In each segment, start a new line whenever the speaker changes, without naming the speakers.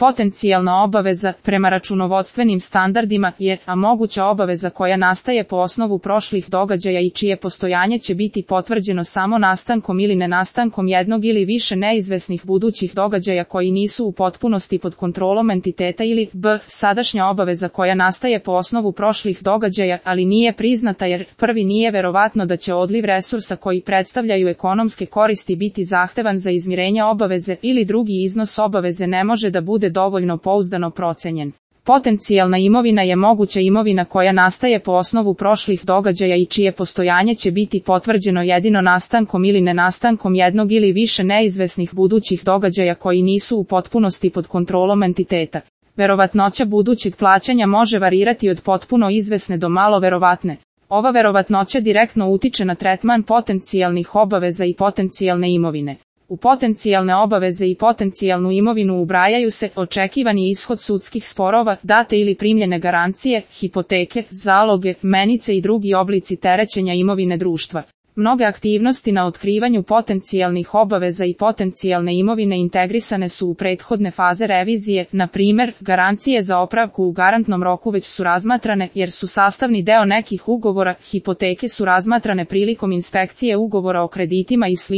Potencijalna obaveza, prema računovodstvenim standardima, je moguća obaveza koja nastaje po osnovu prošlih događaja i čije postojanje će biti potvrđeno samo nastankom ili nenastankom jednog ili više neizvesnih budućih događaja koji nisu u potpunosti pod kontrolom entiteta, ili b. sadašnja obaveza koja nastaje po osnovu prošlih događaja, ali nije priznata jer prvi nije verovatno da će odliv resursa koji predstavljaju ekonomske koristi biti zahtevan za izmirenje obaveze, ili drugi iznos obaveze ne može da bude dovoljno pouzdano procenjen. Potencijalna imovina je moguća imovina koja nastaje po osnovu prošlih događaja i čije postojanje će biti potvrđeno jedino nastankom ili nenastankom jednog ili više neizvesnih budućih događaja koji nisu u potpunosti pod kontrolom entiteta. Verovatnoća budućeg plaćanja može varirati od potpuno izvesne do malo verovatne. Ova verovatnoća direktno utiče na tretman potencijalnih obaveza i potencijalne imovine. U potencijalne obaveze i potencijalnu imovinu ubrajaju se očekivani ishod sudskih sporova, date ili primljene garancije, hipoteke, zaloge, menice i drugi oblici terećenja imovine društva. Mnoge aktivnosti na otkrivanju potencijalnih obaveza i potencijalne imovine integrisane su u prethodne faze revizije, na primjer, garancije za opravku u garantnom roku već su razmatrane jer su sastavni deo nekih ugovora, hipoteke su razmatrane prilikom inspekcije ugovora o kreditima i sl.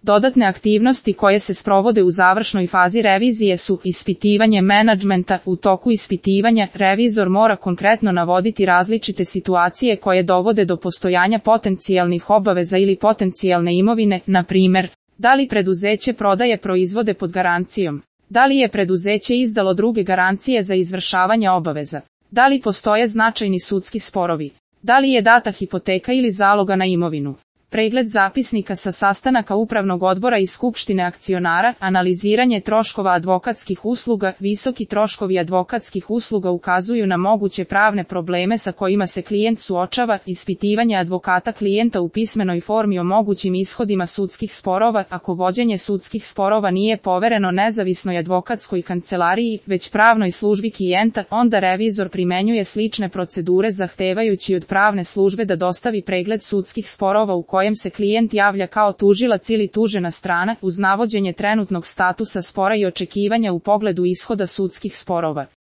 Dodatne aktivnosti koje se sprovode u završnoj fazi revizije su ispitivanje menadžmenta. U toku ispitivanja, revizor mora konkretno navoditi različite situacije koje dovode do postojanja potencijalnih obaveza ili potencijalne imovine, na primjer, da li preduzeće prodaje proizvode pod garancijom, da li je preduzeće izdalo druge garancije za izvršavanje obaveza, da li postoje značajni sudski sporovi, da li je data hipoteka ili zaloga na imovinu. Pregled zapisnika sa sastanaka upravnog odbora i skupštine akcionara, analiziranje troškova advokatskih usluga. Visoki troškovi advokatskih usluga ukazuju na moguće pravne probleme sa kojima se klijent suočava, ispitivanje advokata klijenta u pismenoj formi o mogućim ishodima sudskih sporova. Ako vođenje sudskih sporova nije povereno nezavisnoj advokatskoj kancelariji, već pravnoj službi klijenta, onda revizor primenjuje slične procedure zahtevajući od pravne službe da dostavi pregled sudskih sporova u kojem se klijent javlja kao tužilac ili tužena strana, uz navođenje trenutnog statusa spora i očekivanja u pogledu ishoda sudskih sporova.